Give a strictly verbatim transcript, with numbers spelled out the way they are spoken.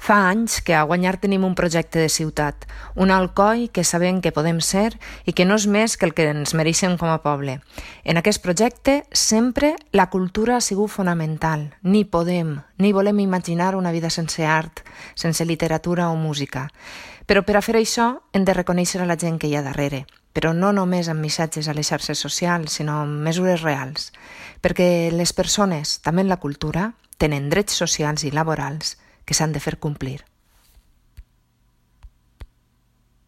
Fa anys que a Guanyar tenim un projecte de ciutat, un Alcoi que sabem que podem ser i que no és més que el que ens mereixem com a poble. En aquest projecte sempre la cultura ha sigut fonamental. Ni podem, ni volem imaginar una vida sense art, sense literatura o música. Però per a fer això hem de reconèixer a la gent que hi ha darrere, però no només amb missatges a les xarxes socials, sinó amb mesures reals, perquè les persones, també en la cultura, tenen drets socials i laborals que s'han de fer complir.